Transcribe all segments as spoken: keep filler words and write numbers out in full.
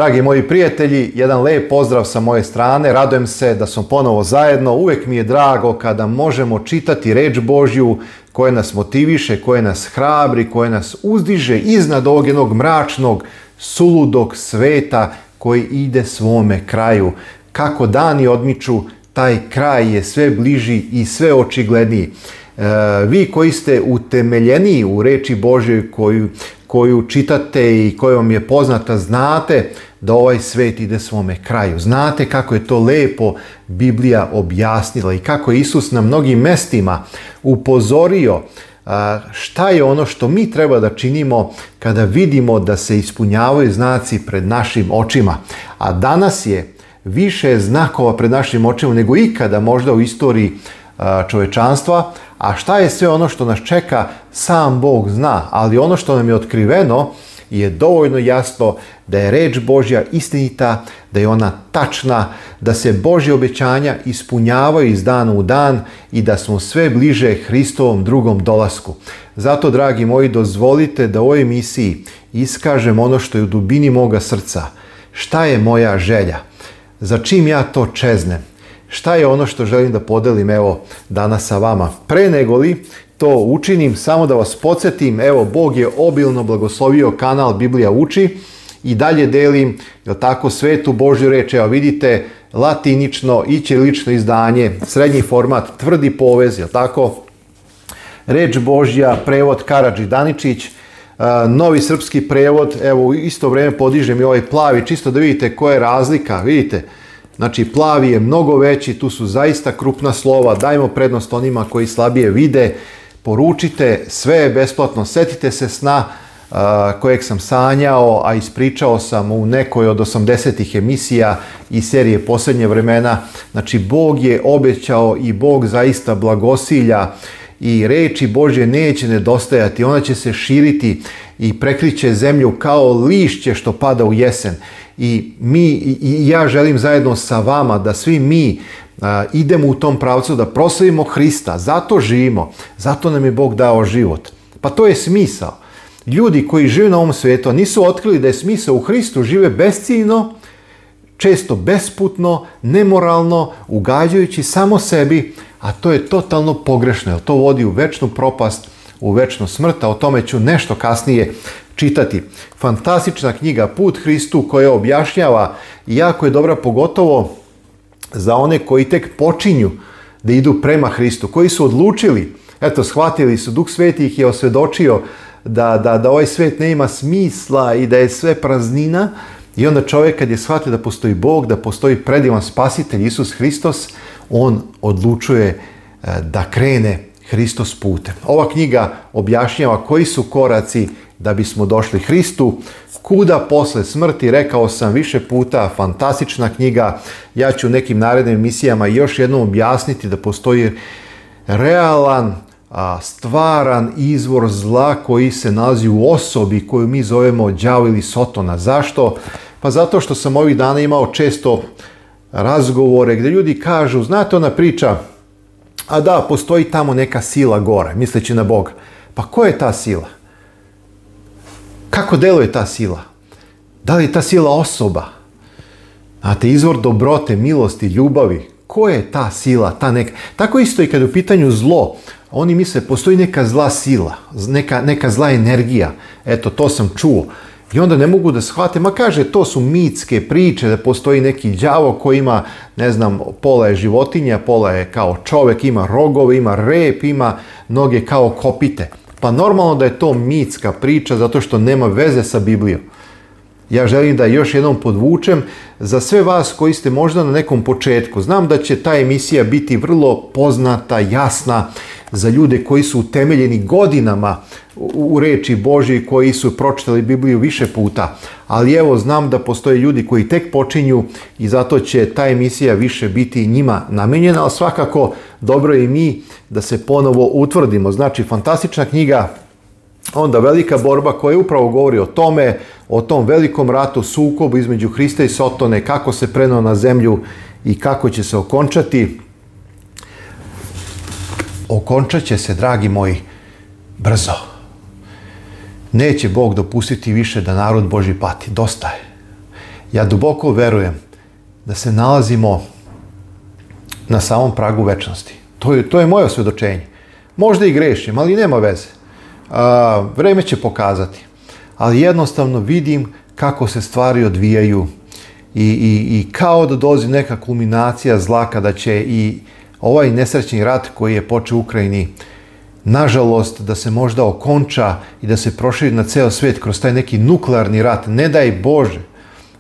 Dragi moji prijatelji, jedan lep pozdrav sa moje strane. Radujem se da smo ponovo zajedno. Uvijek mi je drago kada možemo čitati reč Božju koja nas motiviše, koja nas hrabri, koja nas uzdiže iznad ovog jednog mračnog, suludog sveta koji ide svome kraju. Kako dani odmiču, taj kraj je sve bliži i sve očigledniji. E, vi koji ste utemeljeni u reči Božjoj koju, koju čitate i koja vam je poznata, znate da ovaj svet ide svome kraju. Znate kako je to lepo Biblija objasnila i kako je Isus na mnogim mestima upozorio šta je ono što mi treba da činimo kada vidimo da se ispunjavaju znaci pred našim očima. A danas je više znakova pred našim očima nego ikada možda u istoriji čovečanstva. A šta je sve ono što nas čeka, sam Bog zna. Ali ono što nam je otkriveno je dovoljno jasno da je reč Božja istinita, da je ona tačna, da se Božje obećanja ispunjavaju iz dana u dan i da smo sve bliže Hristovom drugom dolasku. Zato, dragi moji, dozvolite da u ovoj emisiji iskažem ono što je u dubini moga srca. Šta je moja želja? Za čim ja to čeznem? Šta je ono što želim da podelim evo danas sa vama? Pre nego li to učinim, samo da vas podsjetim, evo Bog je obilno blagoslovio kanal Biblija uči i dalje delim, jel tako, svetu Božju reč. Evo vidite, latinično i ćirilično izdanje, srednji format, tvrdi povez, jel tako? Reč Božja, prevod Karadži Daničić, novi srpski prevod, evo u isto vrijeme podižem i ovaj plavi, čisto da vidite koja je razlika, vidite. Znači, plavi je mnogo veći, tu su zaista krupna slova, dajmo prednost onima koji slabije vide, poručite, sve je besplatno, setite se sna uh, kojeg sam sanjao, a ispričao sam u nekoj od osamdesetih emisija i serije Posljednje vremena. Znači, Bog je obećao i Bog zaista blagosilja i reči Božje neće nedostajati, ona će se širiti i prekriće zemlju kao lišće što pada u jesen. I mi i ja želim zajedno sa vama da svi mi a, idemo u tom pravcu da proslavimo Hrista. Zato živimo, zato nam je Bog dao život. Pa to je smisao. Ljudi koji žive na ovom svijetu nisu otkrili da je smisao u Hristu, žive besciljno, često besputno, nemoralno, ugađajući samo sebi, a to je totalno pogrešno, jer to vodi u večnu propast, u večnu smrt, a o tome ću nešto kasnije čitati. Fantastična knjiga Put Hristu koja objašnjava i jako je dobra pogotovo za one koji tek počinju da idu prema Hristu, koji su odlučili, eto, shvatili su, Duh Sveti ih je osvjedočio da, da, da ovaj svet ne ima smisla i da je sve praznina. I onda čovjek kad je shvatio da postoji Bog, da postoji predivan spasitelj Isus Hristos, on odlučuje da krene Hristos putem. Ova knjiga objašnjava koji su koraci da bismo došli Hristu. Kuda posle smrti, rekao sam više puta, fantastična knjiga. Ja ću u nekim narednim emisijama još jednom objasniti da postoji realan, stvaran izvor zla koji se nalazi u osobi koju mi zovemo đavo ili sotona. Zašto? Pa zato što sam ovih dana imao često razgovore gdje ljudi kažu, znate ona priča, a da, postoji tamo neka sila gore, misleći na Boga. Pa ko je ta sila? Kako deluje ta sila? Da li je ta sila osoba? Znate, izvor dobrote, milosti, ljubavi. Ko je ta sila? Ta neka... Tako isto i kad je u pitanju zlo. Oni misle, postoji neka zla sila, neka, neka zla energija. Eto, to sam čuo. I onda ne mogu da shvate, ma kaže, to su mitske priče, da postoji neki đavo koji ima, ne znam, pola je životinja, pola je kao čovjek, ima rogove, ima rep, ima noge kao kopite. Pa normalno da je to mitska priča zato što nema veze sa Biblijom. Ja želim da još jednom podvučem za sve vas koji ste možda na nekom početku. Znam da će ta emisija biti vrlo poznata, jasna za ljude koji su utemeljeni godinama u reči Božji, koji su pročitali Bibliju više puta. Ali evo, znam da postoje ljudi koji tek počinju i zato će ta emisija više biti njima namenjena, ali svakako dobro je i mi da se ponovo utvrdimo. Znači, fantastična knjiga, onda velika borba koja upravo govori o tome, o tom velikom ratu, sukobu između Hrista i Sotone, kako se preneo na zemlju i kako će se okončati. Okončat će se, dragi moji, brzo. Neće Bog dopustiti više da narod Božji pati. Dosta je. Ja duboko verujem da se nalazimo na samom pragu večnosti. To je, to je moje osvjedočenje. Možda i grešim, ali nema veze. A, vreme će pokazati. Ali jednostavno vidim kako se stvari odvijaju i, i, i kao da dolazi neka kulminacija zla kada će i ovaj nesrećni rat koji je počeo u Ukrajini, nažalost, da se možda okonča i da se proširi na ceo svijet kroz taj neki nuklearni rat. Ne daj Bože.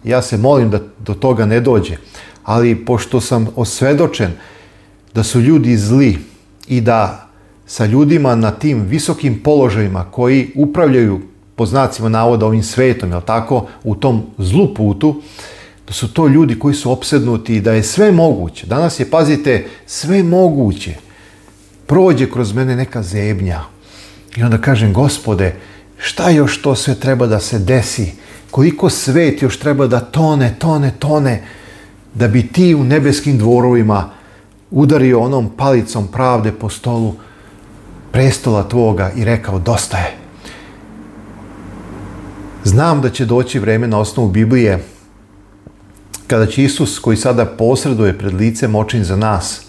Ja se molim da do toga ne dođe. Ali pošto sam osvedočen da su ljudi zli i da sa ljudima na tim visokim položajima koji upravljaju, po znacima navoda, ovim svetom, jel tako, u tom zlu putu, da su to ljudi koji su opsednuti i da je sve moguće. Danas je, pazite, sve moguće. Prođe kroz mene neka zebnja. I onda kažem, Gospode, šta još to sve treba da se desi? Koliko svet još treba da tone, tone, tone, da bi ti u nebeskim dvorovima udario onom palicom pravde po stolu prestola tvoga i rekao, dosta je. Znam da će doći vreme na osnovu Biblije kada će Isus, koji sada posreduje pred licem očin za nas,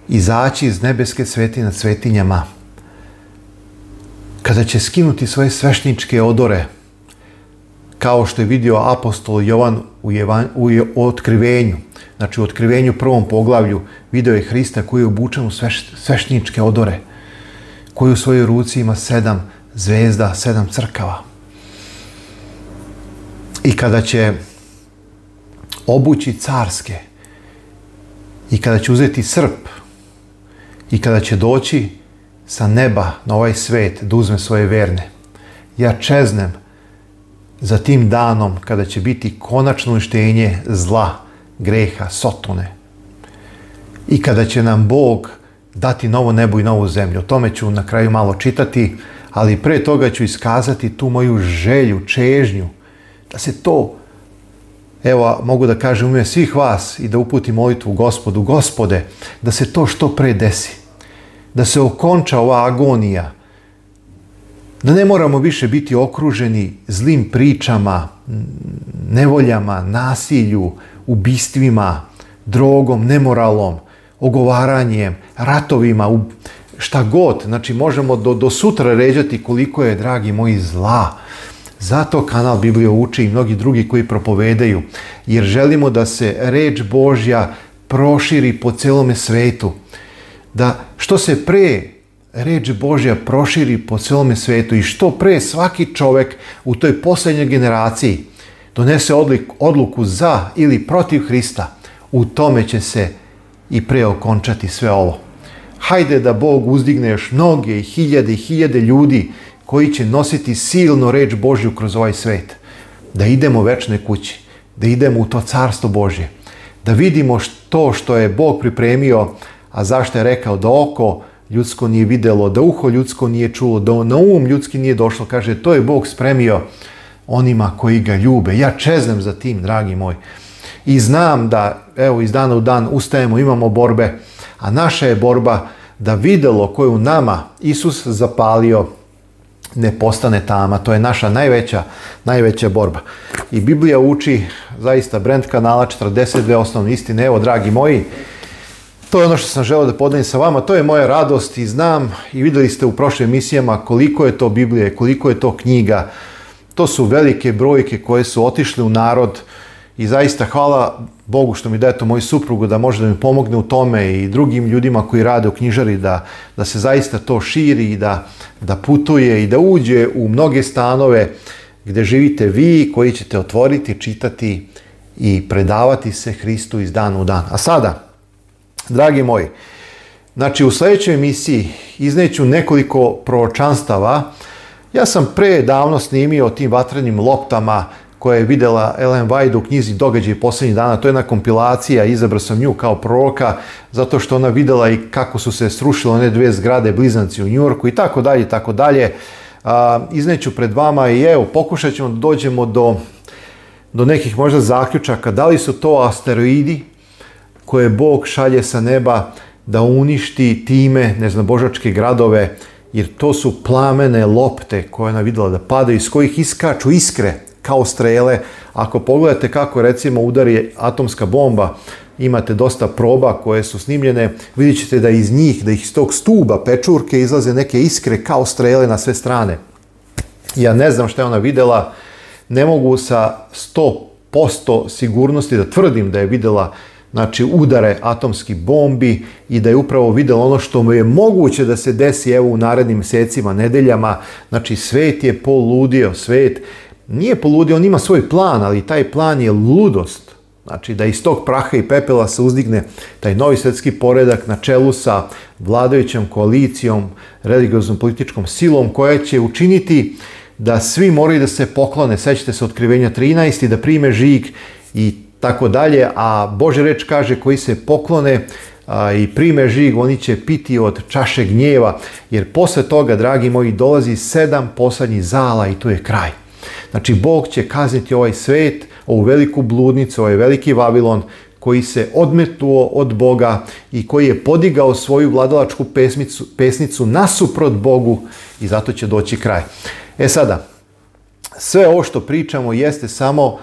izaći iz nebeske svetinje nad svetinjama, kada će skinuti svoje svešničke odore, kao što je vidio apostol Jovan u, Jevan, u, u otkrivenju. Znači u otkrivenju prvom poglavlju video je Hrista koji je obučen u sveš, svešničke odore, koji u svojoj ruci ima sedam zvezda, sedam crkava. I kada će obući carske, i kada će uzeti srp, i kada će doći sa neba na ovaj svet da uzme svoje verne, ja čeznem za tim danom kada će biti konačno uništenje zla, greha, sotone. I kada će nam Bog dati novo nebo i novu zemlju. O tome ću na kraju malo čitati, ali pre toga ću iskazati tu moju želju, čežnju, da se to, evo mogu da kažem u ime svih vas i da uputim molitvu Gospodu, Gospode, da se to što pre desi. Da se okonča ova agonija. Da ne moramo više biti okruženi zlim pričama, nevoljama, nasilju, ubistvima, drogom, nemoralom, ogovaranjem, ratovima, šta god. Znači možemo do, do sutra ređati koliko je, dragi moji, zla. Zato kanal Biblija uči i mnogi drugi koji propovedaju. Jer želimo da se reč Božja proširi po celome svetu. Da što se pre reč Božja proširi po celome svetu i što pre svaki čovjek u toj posljednjoj generaciji donese odluku za ili protiv Hrista, u tome će se i pre okončati sve ovo. Hajde da Bog uzdigne još mnoge i hiljade i hiljade ljudi koji će nositi silno reč Božju kroz ovaj svet. Da idemo večnoj kući, da idemo u to carstvo Božje, da vidimo to što je Bog pripremio, a zašto je rekao da oko ljudsko nije vidjelo, da uho ljudsko nije čulo, da na um ljudski nije došlo. Kaže, to je Bog spremio onima koji ga ljube. Ja čeznem za tim, dragi moj. I znam da, evo, iz dana u dan ustajemo, imamo borbe, a naša je borba da vidjelo koje u nama Isus zapalio ne postane tama. To je naša najveća, najveća borba. I Biblija uči, zaista, Brand kanala, četrdeset dve osnovne istine. Evo, dragi moji, to je ono što sam želeo da podelim sa vama, to je moja radost i znam i vidjeli ste u prošlim emisijama koliko je to Biblije, koliko je to knjiga. To su velike brojke koje su otišle u narod i zaista hvala Bogu što mi daje to moju suprugu da može da mi pomogne u tome i drugim ljudima koji rade u knjižari da, da se zaista to širi i da, da putuje i da uđe u mnoge stanove gdje živite vi koji ćete otvoriti, čitati i predavati se Hristu iz dana u dan. A sada, dragi moji, znači u sljedećoj emisiji izneću nekoliko proročanstava. Ja sam pre davno snimio o tim vatrenim loptama koje je vidjela Ellen White u knjizi Događaji posljednjih dana. To je jedna kompilacija, izabrao sam nju kao proroka zato što ona vidjela i kako su se srušile one dve zgrade blizanci u Njujorku i tako dalje, tako dalje. Izneću pred vama i evo, pokušat ćemo da dođemo do, do nekih možda zaključaka. Da li su to asteroidi koje Bog šalje sa neba da uništi time neznabožačke gradove, jer to su plamene lopte koje ona vidjela da padaju, iz kojih iskaču iskre, kao strele. Ako pogledate kako recimo udari atomska bomba, imate dosta proba koje su snimljene, vidjet ćete da iz njih, da iz tog stuba pečurke izlaze neke iskre kao strele na sve strane. Ja ne znam šta je ona videla, ne mogu sa sto posto sigurnosti da tvrdim da je videla, znači, udare atomskih bombi i da je upravo videla ono što mu je moguće da se desi evo u narednim mjesecima, nedeljama. Znači, svet je poludio, svet nije poludio, on ima svoj plan, ali taj plan je ludost. Znači, da iz tog praha i pepela se uzdigne taj novi svjetski poredak na čelu sa vladajućom koalicijom, religioznom političkom silom koja će učiniti da svi moraju da se poklone, sećate se Otkrivenja trinaest, i da prime žig i tako dalje, a Božja reč kaže koji se poklone a, i prime žig, oni će piti od čaše gnjeva, jer posle toga, dragi moji, dolazi sedam poslednjih zala i tu je kraj. Znači, Bog će kazniti ovaj svet, ovu veliku bludnicu, ovaj veliki Vavilon, koji se odmetnuo od Boga i koji je podigao svoju vladalačku pesmicu, pesnicu nasuprot Bogu, i zato će doći kraj. E sada, sve ovo što pričamo jeste samo,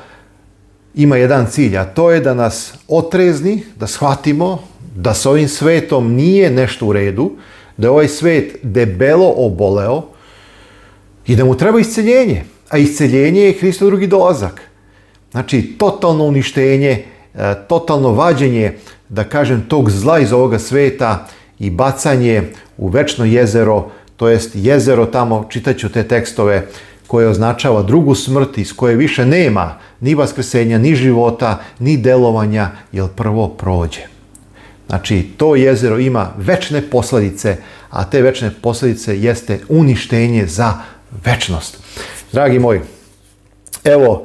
ima jedan cilj, a to je da nas otrezni, da shvatimo da s ovim svetom nije nešto u redu, da je ovaj svet debelo oboleo i da mu treba isceljenje. A isceljenje je Hristov drugi dolazak. Znači, totalno uništenje, totalno vađenje, da kažem, tog zla iz ovoga sveta i bacanje u večno jezero, to jest jezero tamo, čitaću te tekstove, koje označava drugu smrt, iz koje više nema ni vaskrsenja, ni života, ni delovanja, jer prvo prođe. Znači, to jezero ima večne posljedice, a te večne posljedice jeste uništenje za večnost. Dragi moji, evo,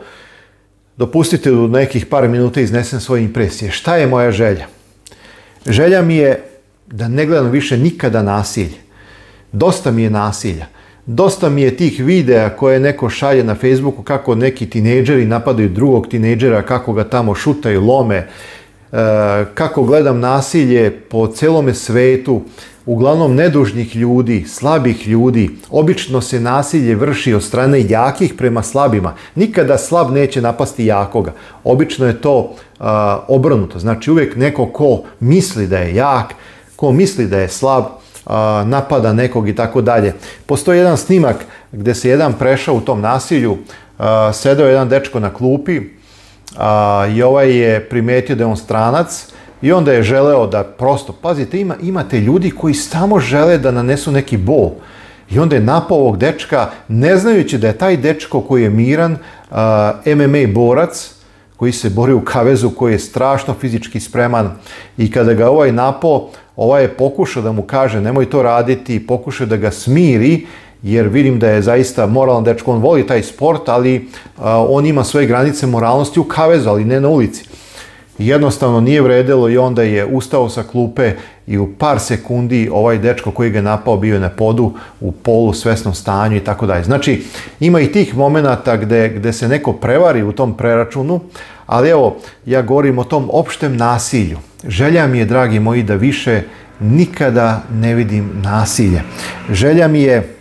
dopustite u nekih par minuta iznesem svoje impresije. Šta je moja želja? Želja mi je da ne gledam više nikada nasilje. Dosta mi je nasilja. Dosta mi je tih videa koje neko šalje na Facebooku kako neki tinejdžeri napadaju drugog tinejdžera, kako ga tamo šutaju, lome, kako gledam nasilje po celome svetu, uglavnom nedužnih ljudi, slabih ljudi. Obično se nasilje vrši od strane jakih prema slabima. Nikada slab neće napasti jakoga. Obično je to uh, obrnuto. Znači, uvijek neko ko misli da je jak, ko misli da je slab, uh, napada nekog i tako dalje. Postoji jedan snimak gdje se jedan prešao u tom nasilju, uh, sedeo jedan dečko na klupi uh, i ovaj je primetio da je on stranac. I onda je želeo da prosto, pazite, ima, imate ljudi koji samo žele da nanesu neki bol. I onda je napao ovog dečka, ne znajući da je taj dečko koji je miran, uh, M M A borac, koji se bori u kavezu, koji je strašno fizički spreman. I kada ga ovaj napao, ovaj je pokušao da mu kaže nemoj to raditi, pokušao da ga smiri, jer vidim da je zaista moralan dečko, on voli taj sport, ali uh, on ima svoje granice moralnosti u kavezu, ali ne na ulici. Jednostavno nije vredelo i onda je ustao sa klupe i u par sekundi ovaj dečko koji ga je napao bio je na podu u polu svesnom stanju i tako dalje. Znači, ima i tih momenata gde, gde se neko prevari u tom preračunu, ali evo, ja govorim o tom opštem nasilju. Želja mi je, dragi moji, da više nikada ne vidim nasilje. Želja mi je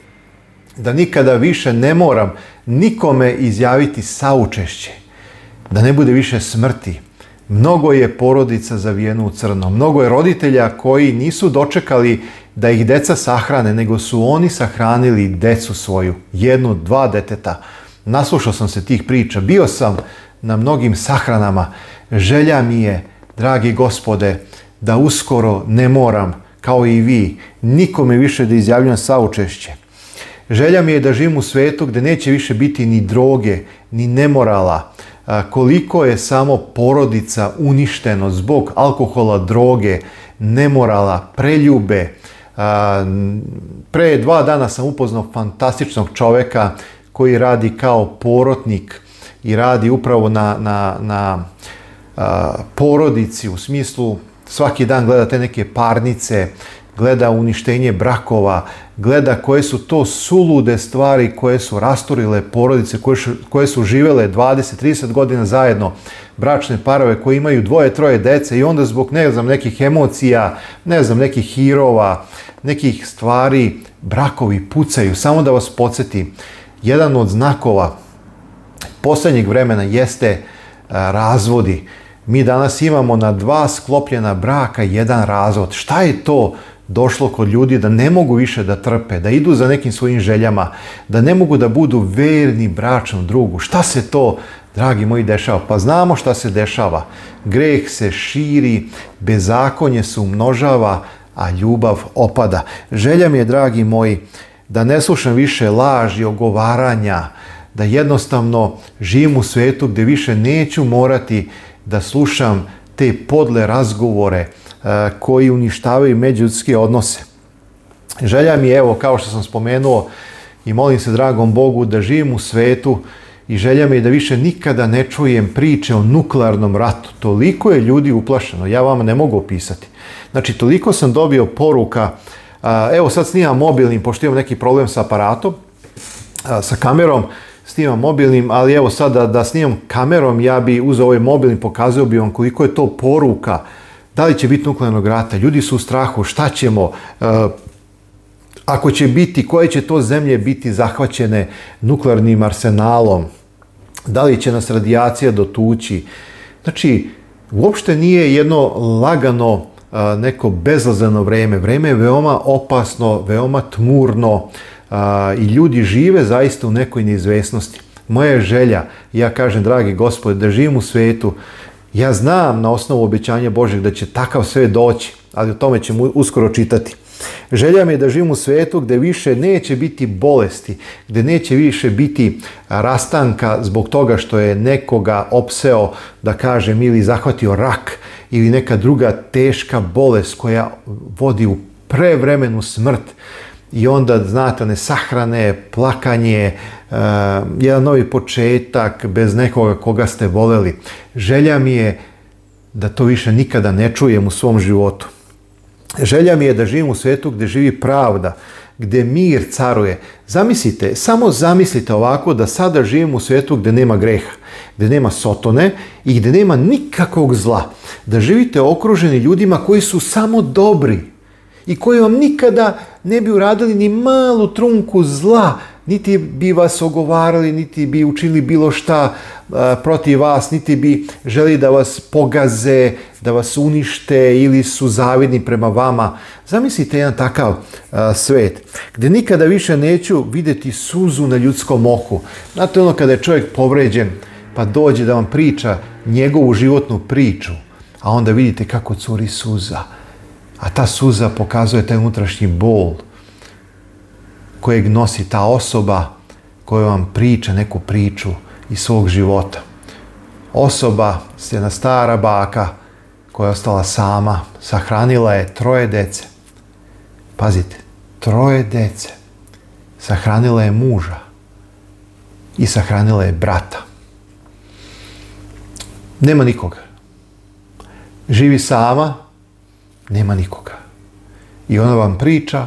da nikada više ne moram nikome izjaviti saučešće, da ne bude više smrti. Mnogo je porodica zavijeno u crno, mnogo je roditelja koji nisu dočekali da ih deca sahrane, nego su oni sahranili decu svoju, jednu, dva deteta. Naslušao sam se tih priča, bio sam na mnogim sahranama. Želja mi je, dragi Gospode, da uskoro ne moram, kao i vi, nikome više da izjavljam saučešće. Želja mi je da živim u svetu gdje neće više biti ni droge, ni nemorala. Koliko je samo porodica uništeno zbog alkohola, droge, nemorala, preljube. Pre dva dana sam upoznao fantastičnog čoveka koji radi kao porotnik i radi upravo na, na, na porodici, u smislu svaki dan gleda te neke parnice, gleda uništenje brakova, gleda koje su to sulude stvari koje su rasturile porodice, koje su, koje su živele dvadeset trideset godina zajedno, bračne parove koji imaju dvoje, troje dece i onda zbog, ne znam, nekih emocija, ne znam, nekih hirova, nekih stvari, brakovi pucaju. Samo da vas podsjetim, jedan od znakova posljednjeg vremena jeste razvodi. Mi danas imamo na dva sklopljena braka jedan razvod. Šta je to došlo kod ljudi da ne mogu više da trpe, da idu za nekim svojim željama, da ne mogu da budu verni bračnom drugu? Šta se to, dragi moji, dešava? Pa znamo šta se dešava. Greh se širi, bezakonje se umnožava, a ljubav opada. Želja mi je, dragi moji, da ne slušam više laži, ogovaranja, da jednostavno živim u svetu gdje više neću morati da slušam te podle razgovore uh, koji uništavaju međuljudske odnose. Želja mi je, evo, kao što sam spomenuo, i molim se dragom Bogu da živim u svetu, i želja mi je da više nikada ne čujem priče o nuklearnom ratu. Toliko je ljudi uplašeno, ja vama ne mogu opisati. Znači, toliko sam dobio poruka, uh, evo sad snimam mobilnim, pošto imam neki problem sa aparatom, uh, sa kamerom, snimam mobilnim, ali evo sad da, da snimam kamerom, ja bi uzeo ovaj mobilni, pokazao bi vam koliko je to poruka. Da li će biti nuklearnog rata? Ljudi su u strahu, šta ćemo? Uh, ako će biti, koje će to zemlje biti zahvaćene nuklearnim arsenalom? Da li će nas radijacija dotući? Znači, uopšte nije jedno lagano, uh, neko bezlazano vreme. Vreme je veoma opasno, veoma tmurno, Uh, i ljudi žive zaista u nekoj neizvesnosti. Moja je želja, ja kažem, dragi Gospode, da živim u svetu. Ja znam na osnovu obećanja Božeg da će takav svet doći, ali o tome ćemo uskoro čitati. Želja mi je da živim u svetu gdje više neće biti bolesti, gdje neće više biti rastanka zbog toga što je nekoga opseo, da kažem, ili zahvatio rak ili neka druga teška bolest koja vodi u prevremenu smrt. I onda, znate, one sahrane, plakanje, uh, jedan novi početak bez nekoga koga ste voleli. Želja mi je da to više nikada ne čujem u svom životu. Želja mi je da živim u svijetu gdje živi pravda, gdje mir caruje. Zamislite, samo zamislite ovako da sada živim u svijetu gdje nema greha, gdje nema sotone i gdje nema nikakvog zla. Da živite okruženi ljudima koji su samo dobri i koji vam nikada ne bi uradili ni malu trunku zla, niti bi vas ogovarali, niti bi učinili bilo šta uh, protiv vas, niti bi želi da vas pogaze, da vas unište ili su zavidni prema vama. Zamislite jedan takav uh, svet, gdje nikada više neću vidjeti suzu na ljudskom oku. Znate ono kada je čovjek povređen, pa dođe da vam priča njegovu životnu priču, a onda vidite kako curi suza. A ta suza pokazuje taj unutrašnji bol kojeg nosi ta osoba koja vam priča neku priču iz svog života. Osoba, jedna stara baka koja je ostala sama, sahranila je troje dece. Pazite, troje dece. Sahranila je muža i sahranila je brata. Nema nikoga. Živi sama, nema nikoga. I ona vam priča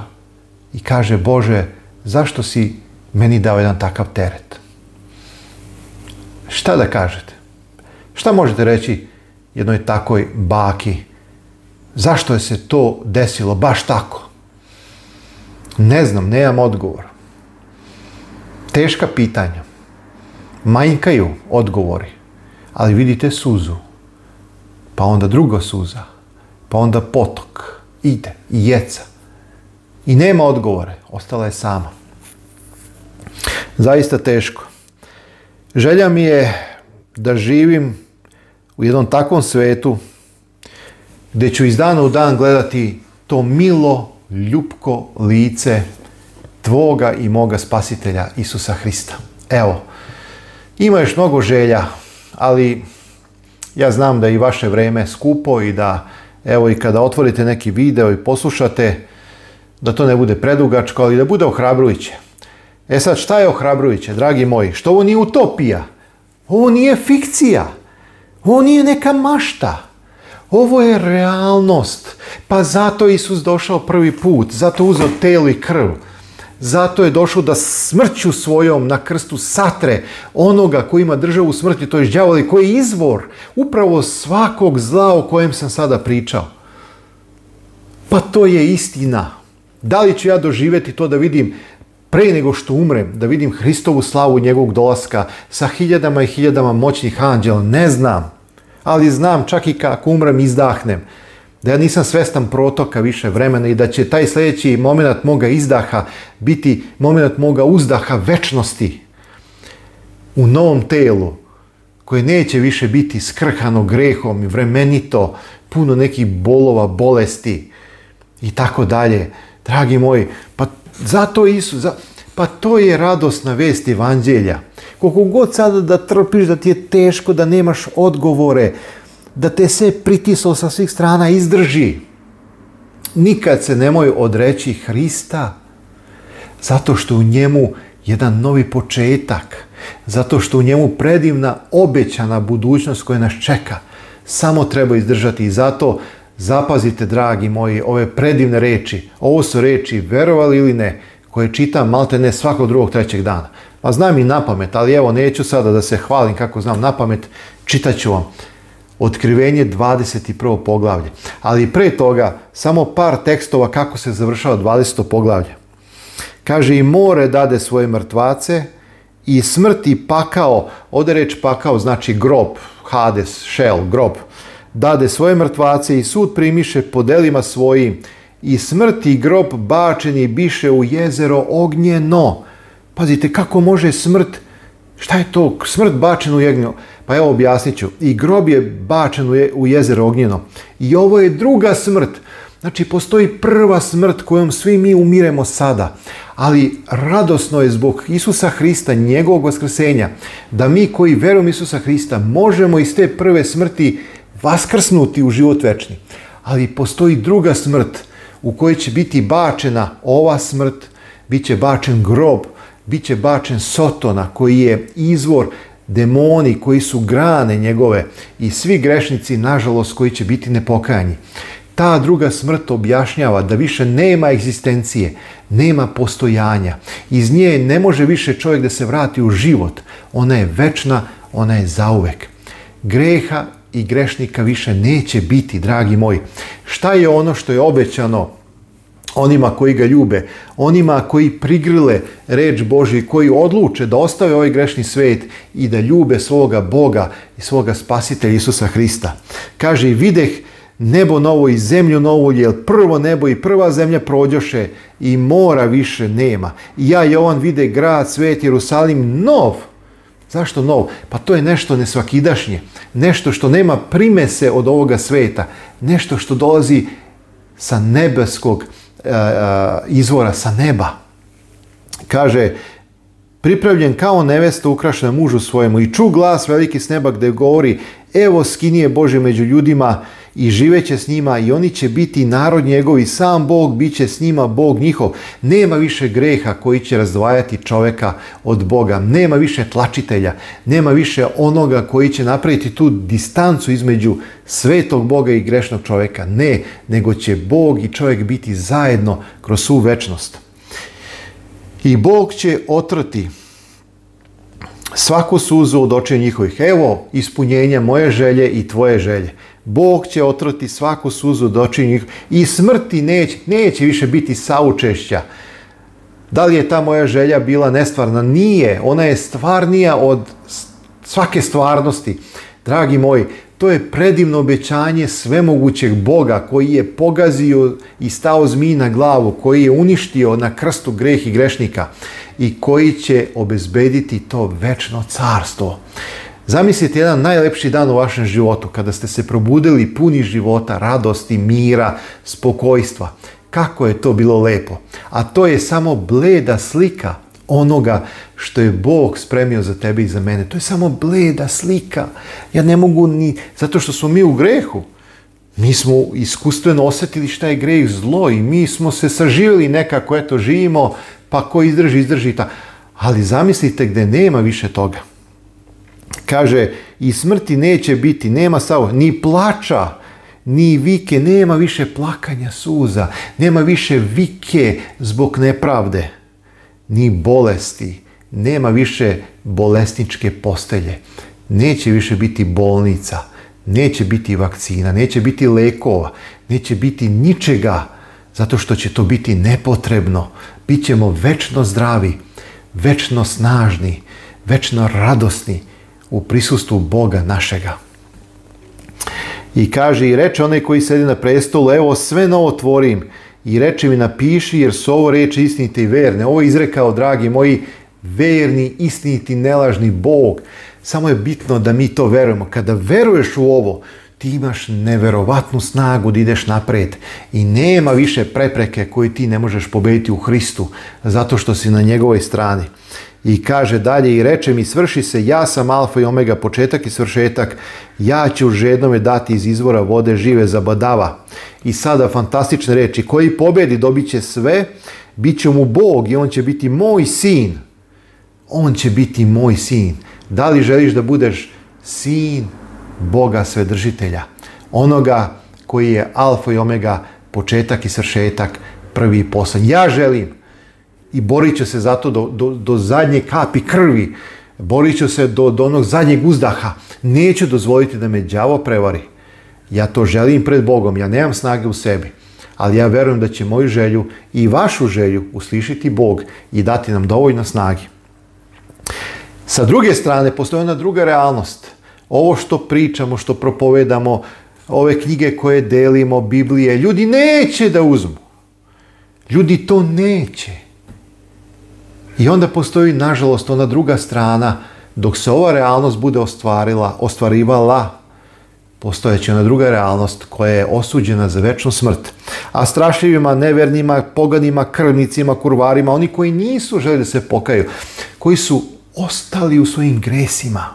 i kaže: Bože, zašto si meni dao jedan takav teret? Šta da kažete? Šta možete reći jednoj takoj baki? Zašto je se to desilo baš tako? Ne znam, nemam odgovor. Teška pitanja. Manjkaju odgovori. Ali vidite suzu. Pa onda druga suza. Pa onda potok. Ide i jeca. I nema odgovore. Ostala je sama. Zaista teško. Želja mi je da živim u jednom takvom svetu gdje ću iz dana u dan gledati to milo, ljupko lice tvoga i moga spasitelja Isusa Hrista. Evo, ima još mnogo želja, ali ja znam da je i vaše vrijeme skupo i da, evo, i kada otvorite neki video i poslušate, da to ne bude predugačko, ali da bude ohrabrujuće. E sad, šta je ohrabrujuće, dragi moji? Što ovo nije utopija? Ovo nije fikcija. Ovo nije neka mašta. Ovo je realnost. Pa zato Isus došao prvi put. Zato uzeo telo i krv. Zato je došao da smrću svojom na krstu satre onoga koji ima državu smrti, to je đavol, i koji je izvor upravo svakog zla o kojem sam sada pričao. Pa to je istina. Da li ću ja doživjeti to da vidim pre nego što umrem, da vidim Hristovu slavu njegovog dolaska sa hiljadama i hiljadama moćnih anđela, ne znam. Ali znam, čak i kako umrem, izdahnem, da ja nisam svestan protoka više vremena i da će taj sljedeći moment moga izdaha biti moment moga uzdaha večnosti u novom telu, koje neće više biti skrhano grehom i vremenito, puno nekih bolova, bolesti i tako dalje. Dragi moji, pa zato Isus, za, pa to je radosna vest evanđelja. Koliko god sada da trpiš, da ti je teško, da nemaš odgovore, da te sve pritislo sa svih strana, izdrži. Nikad se nemoj odreći Hrista, zato što u njemu jedan novi početak, zato što u njemu predivna obećana budućnost koja nas čeka. Samo treba izdržati i zato zapazite, dragi moji, ove predivne reči. Ovo su reči, verovali ili ne, koje čitam malte ne svakog drugog, trećeg dana. Pa znam i napamet, ali evo neću sada da se hvalim kako znam napamet, čitat ću vam. Otkrivenje dvadeset prvo poglavlje. Ali pre toga samo par tekstova kako se završava dvadeseto poglavlje. Kaže, i more dade svoje mrtvace i smrt i pakao, ovdje reč pakao znači grob, Hades, Šel, grob, dade svoje mrtvace i sud primiše po delima svojim i smrt i grob bačeni biše u jezero ognjeno. Pazite, kako može smrt, šta je to, smrt bačena u ognjeno? Pa evo objasnit ću. I grob je bačen u jezero ognjeno. I ovo je druga smrt. Znači, postoji prva smrt kojom svi mi umiremo sada. Ali radosno je zbog Isusa Hrista, njegovog vaskrsenja, da mi koji verujemo Isusa Hrista možemo iz te prve smrti vaskrsnuti u život večni. Ali postoji druga smrt u kojoj će biti bačena ova smrt, bit će bačen grob, bit će bačen Sotona koji je izvor, demoni koji su grane njegove i svi grešnici, nažalost, koji će biti nepokajani. Ta druga smrt objašnjava da više nema egzistencije, nema postojanja. Iz nje ne može više čovjek da se vrati u život. Ona je večna, ona je zauvek. Greha i grešnika više neće biti, dragi moji. Šta je ono što je obećano onima koji ga ljube, onima koji prigrile reč Božju, koji odluče da ostave ovaj grešni svet i da ljube svoga Boga i svoga Spasitelja Isusa Hrista? Kaže, i videh nebo novo i zemlju novu, jer prvo nebo i prva zemlja prođoše i mora više nema. I ja, Jovan, vide grad, svet, Jerusalim, nov. Zašto nov? Pa to je nešto nesvakidašnje, nešto što nema primese od ovoga sveta, nešto što dolazi sa nebeskog uh, izvora, sa neba. Kaže, pripravljen kao nevesta ukrašena mužu svojemu i ču glas veliki s neba gdje govori, evo skinije Bože među ljudima i živeće s njima i oni će biti narod njegov i sam Bog bit će s njima Bog njihov. Nema više greha koji će razdvajati čovjeka od Boga. Nema više tlačitelja. Nema više onoga koji će napraviti tu distancu između svetog Boga i grešnog čovjeka. Ne, nego će Bog i čovjek biti zajedno kroz svu večnost. I Bog će otrati svaku suzu od očiju njihovih. Evo ispunjenja moje želje i tvoje želje. Bog će otrati svaku suzu od očiju njihovih i smrti neće, neće više biti saučešća. Da li je ta moja želja bila nestvarna? Nije. Ona je stvarnija od svake stvarnosti. Dragi moji, to je predivno obećanje svemogućeg Boga koji je pogazio i stao zmiji na glavu, koji je uništio na krstu greh i grešnika i koji će obezbediti to večno carstvo. Zamislite jedan najlepši dan u vašem životu kada ste se probudili puni života, radosti, mira, spokojstva. Kako je to bilo lepo. A to je samo bleda slika onoga što je Bog spremio za tebe i za mene. To je samo bleda slika. Ja ne mogu ni, zato što smo mi u grehu. Mi smo iskustveno osjetili šta je greh, zlo i mi smo se saživjeli nekako, eto živimo, pa ko izdrži, izdrži ta. Ali zamislite gdje nema više toga. Kaže, i smrti neće biti, nema sao, ni plača, ni vike, nema više plakanja suza, nema više vike zbog nepravde, ni bolesti, nema više bolesničke postelje, neće više biti bolnica, neće biti vakcina, neće biti lekova, neće biti ničega Zato što će to biti nepotrebno. Bićemo večno zdravi, večno snažni, večno radosni u prisustvu Boga našega. I kaže, i reče onaj koji sedi na prestolu, evo sve novo tvorim, i reče mi napiši, jer su ovo reči istinite i verne. Ovo je izrekao, dragi moji, verni, istiniti, nelažni Bog. Samo je bitno da mi to verujemo. Kada veruješ u ovo, ti imaš neverovatnu snagu da ideš napred i nema više prepreke koje ti ne možeš pobediti u Hristu, zato što si na njegovoj strani. I kaže dalje, i reče mi, svrši se, ja sam alfa i omega, početak i svršetak, ja ću žednome dati iz izvora vode žive zabadava. I sada fantastične reči, koji pobedi dobit će sve, bit će mu Bog i on će biti moj sin. On će biti moj sin. Da li želiš da budeš sin Boga Svedržitelja? Onoga koji je alfa i omega, početak i svršetak, prvi i poslednji. Ja želim. I borit ću se zato do, do, do zadnje kapi krvi. Borit ću se do, do onog zadnjeg uzdaha. Neću dozvoliti da me đavo prevari. Ja to želim pred Bogom. Ja nemam snage u sebi. Ali ja verujem da će moju želju i vašu želju uslišiti Bog i dati nam dovoljno snage. Sa druge strane, postoji ona druga realnost. Ovo što pričamo, što propovedamo, ove knjige koje delimo, Biblije, ljudi neće da uzmu. Ljudi to neće. I onda postoji, nažalost, ona druga strana, dok se ova realnost bude ostvarila, ostvarivala, postojeće ona druga realnost koja je osuđena za večnu smrt. A strašljivima, nevernima, poganima, krvnicima, kurvarima, oni koji nisu želi da se pokaju, koji su ostali u svojim gresima,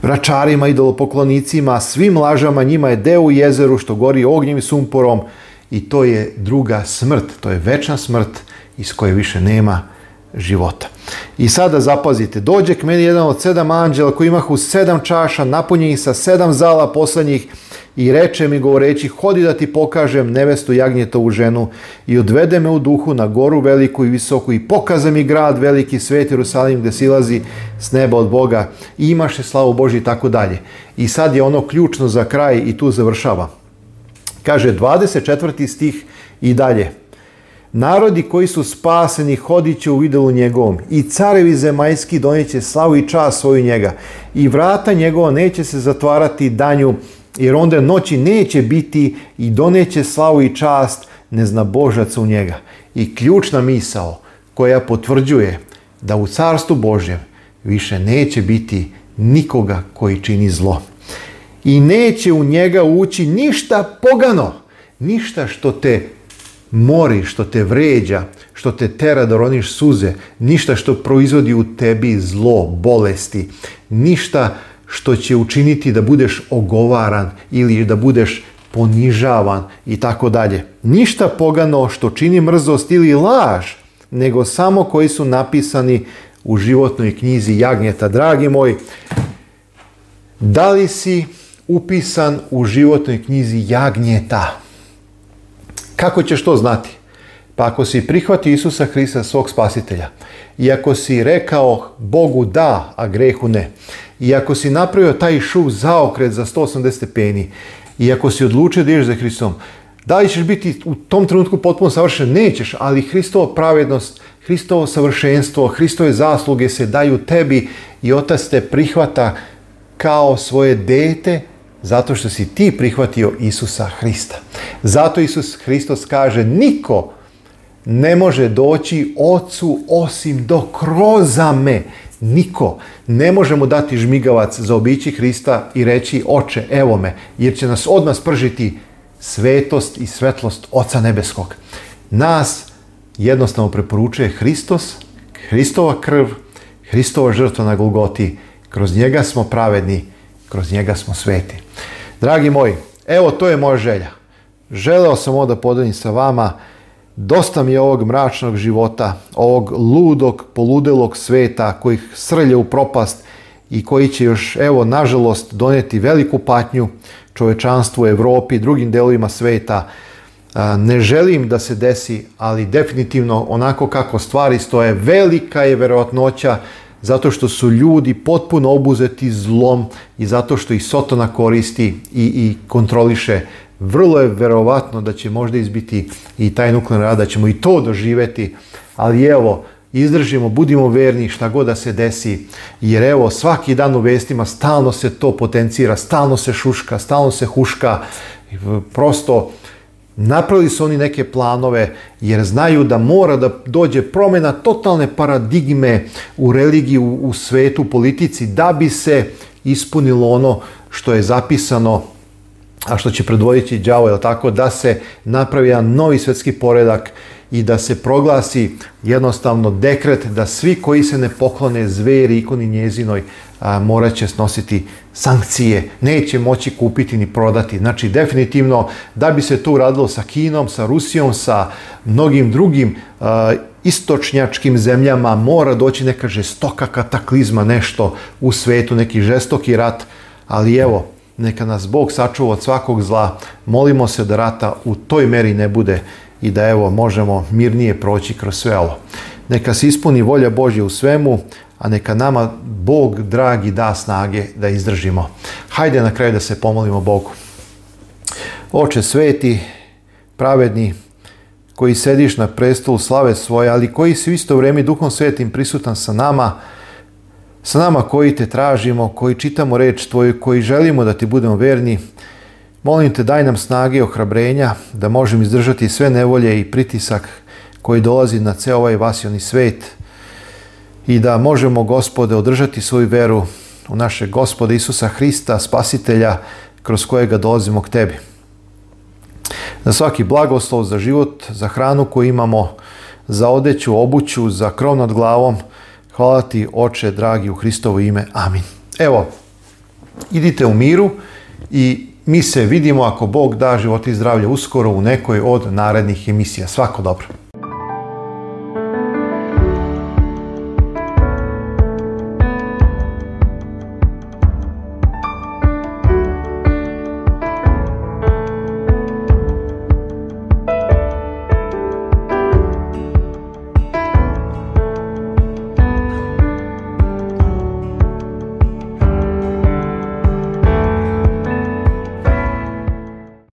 vračarima, idolopoklonicima, svim lažama, njima je deo u jezeru što gori ognjem i sumporom, i to je druga smrt, to je večna smrt iz koje više nema života. I sada zapazite, dođe k meni jedan od sedam anđela koji imahu sedam čaša napunjenih sa sedam zala poslednjih i reče mi govoreći, hodi da ti pokažem nevestu jagnjetovu ženu, i odvede me u duhu na goru veliku i visoku i pokaza mi grad veliki, svet Jerusalim, gde silazi s neba od Boga i imaše slavu Božju i tako dalje. I sad je ono ključno za kraj i tu završava. Kaže dvadeset četvrti stih i dalje. Narodi koji su spaseni hodit će u idolu njegovom i carevi zemaljski donijeće slavu i čast svoju njega i vrata njegova neće se zatvarati danju, jer onda noći neće biti i doneće slavu i čast neznabožaca u njega. I ključna misao koja potvrđuje da u carstvu Božjem više neće biti nikoga koji čini zlo. I neće u njega ući ništa pogano, ništa što te mori, što te vređa, što te tera da roniš suze, ništa što proizvodi u tebi zlo, bolesti, ništa što će učiniti da budeš ogovaran ili da budeš ponižavan i tako dalje. Ništa pogano što čini mrzost ili laž, nego samo koji su napisani u životnoj knjizi jagnjeta. Dragi moj, da li si upisan u životnoj knjizi jagnjeta? Kako ćeš to znati? Pa ako si prihvatio Isusa Hrista svog spasitelja, i ako si rekao Bogu da, a grehu ne, i ako si napravio taj šuv zaokret za sto osamdeset stepeni, i ako si odlučio da ideš za Hristom, da li ćeš biti u tom trenutku potpuno savršen? Nećeš, ali Hristova pravednost, Hristovo savršenstvo, Hristove zasluge se daju tebi i Otac te prihvata kao svoje dete, zato što si ti prihvatio Isusa Hrista. Zato Isus Hristos kaže, niko ne može doći Ocu osim do kroz me. Niko. Ne možemo dati žmigavac za obići Hrista i reći, oče, evo me, jer će nas odmah spržiti svetost i svetlost Oca Nebeskog. Nas jednostavno preporučuje Hristos, Hristova krv, Hristova žrtva na Golgoti. Kroz njega smo pravedni, kroz njega smo sveti. Dragi moji, evo to je moja želja. Želeo sam ovo da podelim sa vama. Dosta mi je ovog mračnog života, ovog ludog, poludelog sveta koji srlja u propast i koji će još, evo, nažalost, donijeti veliku patnju čovečanstvu u Evropi i drugim delovima sveta. Ne želim da se desi, ali definitivno onako kako stvari stoje, velika je verovatnoća zato što su ljudi potpuno obuzeti zlom i zato što ih Sotona koristi i, i kontroliše vrlo je verovatno da će možda izbiti i taj nuklearni rat, da ćemo i to doživjeti, ali evo, izdržimo, budimo verni šta god da se desi, jer evo svaki dan u vestima stalno se to potencira, stalno se šuška, stalno se huška, prosto napravili su oni neke planove jer znaju da mora da dođe promjena totalne paradigme u religiji, u, u svetu, u politici, da bi se ispunilo ono što je zapisano, a što će predvoditi đavo, je tako, da se napravi jedan novi svjetski poredak i da se proglasi jednostavno dekret da svi koji se ne poklone zveri, ikoni njezinoj, a, morat će snositi sankcije, neće moći kupiti ni prodati. Znači, definitivno, da bi se to uradilo sa Kinom, sa Rusijom, sa mnogim drugim a, istočnjačkim zemljama, mora doći neka žestoka kataklizma, nešto u svetu, neki žestoki rat, ali evo, neka nas Bog sačuva od svakog zla, molimo se da rata u toj meri ne bude i da evo možemo mirnije proći kroz sve ovo. Neka se ispuni volja Božja u svemu, a neka nama Bog dragi da snage da izdržimo. Hajde na kraju da se pomolimo Bogu. Oče sveti, pravedni, koji sediš na prestolu slave svoje, ali koji si u isto vrijeme Duhom Svetim prisutan sa nama, sa nama koji te tražimo, koji čitamo reč tvoju, koji želimo da ti budemo verni, molim te daj nam snage i ohrabrenja da možemo izdržati sve nevolje i pritisak koji dolazi na ceo ovaj vasioni svet i da možemo, Gospode, održati svoju veru u našeg Gospoda Isusa Hrista, Spasitelja, kroz kojega dolazimo k tebi. Za svaki blagoslov, za život, za hranu koju imamo, za odeću, obuću, za krov nad glavom, hvala ti, Oče, dragi, u Hristovo ime. Amin. Evo, idite u miru i mi se vidimo, ako Bog da, život i zdravlje, uskoro u nekoj od narednih emisija. Svako dobro.